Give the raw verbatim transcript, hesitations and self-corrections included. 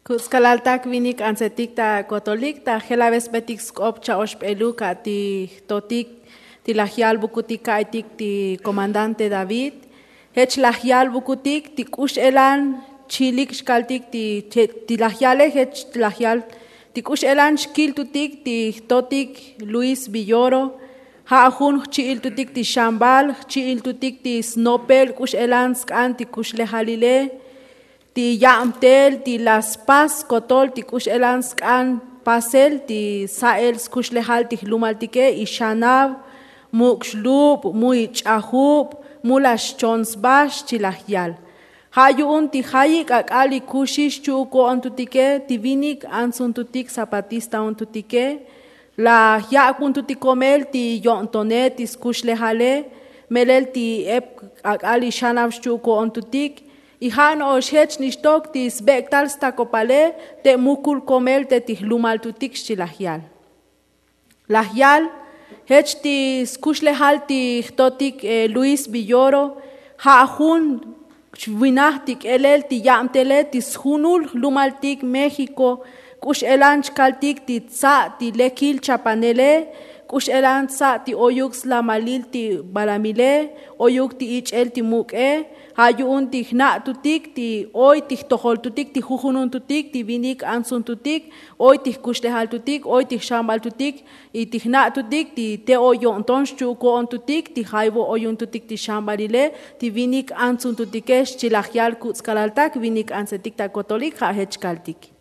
Kuts' kalaltak vinik antsetik ta kotolik ta jelabesbetik sk'op cha'oxbeluk a ti jtotik ti laj yalbukutik ka'aytik ti komandante david. Jech laj yalbukutik ti k'u x'elan chilik xkaltik ti laj yale jech laj yal ti k'u x'elan xkiltutik ti jtotik luis villoro. Ja' jun jchi'iltutik ti xambal jchi'iltutik ti snopel k'u x'elan sk'an ti kuxlejalile ti yabtel ti la spas kotol ti k'u x'elan sk'an pasel ti sa'el skuxlejal ti jlumaltike y xanav muk' xlub' mu ich'ajub' mu la xchon sba xchi laj yal. Ja' yu'un ti jayik' ak'al ikuxix chu'uk ko'ontutike ti vinik antsuntutik zapatista untutike laj yak'buntutik komel ti yo'ntone ti skuxlejale melel ti ep ak'al ixanav xchu'uk ko'ontutik. Y ja' no'ox jech nixtok ti sbek'tal stakopale te mukul komel te ti jlumaltutik xchi laj yal. Laj yal jech ti skuxlejal ti jtotik luis villoro ja' jun xvinaj ti k'elel ti yabtele ti sjunul jlumaltik méxiko k'u x'elan chkaltik ti tsa' ti lekil chapanele k'u x'elan tsa' ti oyuk slamalil ti balamile oyuk ti ich'el ti muk'e. Ja' yu'un ti jna'tutik ti oy ti jtojoltutik ti jujununtutik ti vinik antsuntutik oy ti jkuxlejaltutik oy ti jxambaltutik y ti jna'tutik ti te oy yo'nton xchu'uk ko'ontutik ti jaybo oyuntutik ti xambalile ti vinik antsuntutike xchi laj yal kuts' kalaltak vinik antsetik ta kotolik ja' jech kaltik.